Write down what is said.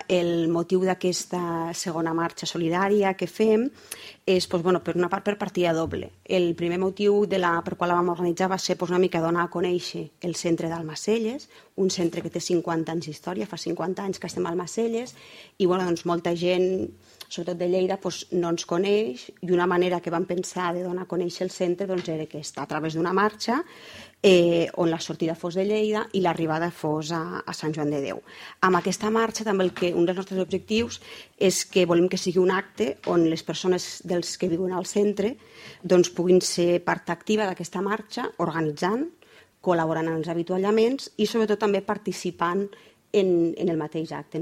el motiu d'aquesta segona marxa solidària que fem és, per una part, per partida doble. El primer motiu per qual la vam organitzar va ser una mica donar a conèixer el centre d'Almacelles, un centre que té 50 anys d'història, fa 50 anys que estem a Almacelles, i molta gent, sobretot de Lleida, no ens coneix, i una manera que vam pensar de donar a conèixer el centre era aquesta, a través d'una marxa on la sortida fos de Lleida i l'arribada fos a Sant Joan de Déu. Amb aquesta marxa també un dels nostres objectius és que volem que sigui un acte on les persones dels que viuen al centre puguin ser part activa d'aquesta marxa, organitzant, col·laborant en els avituallaments i sobretot també participant en el mateix acte.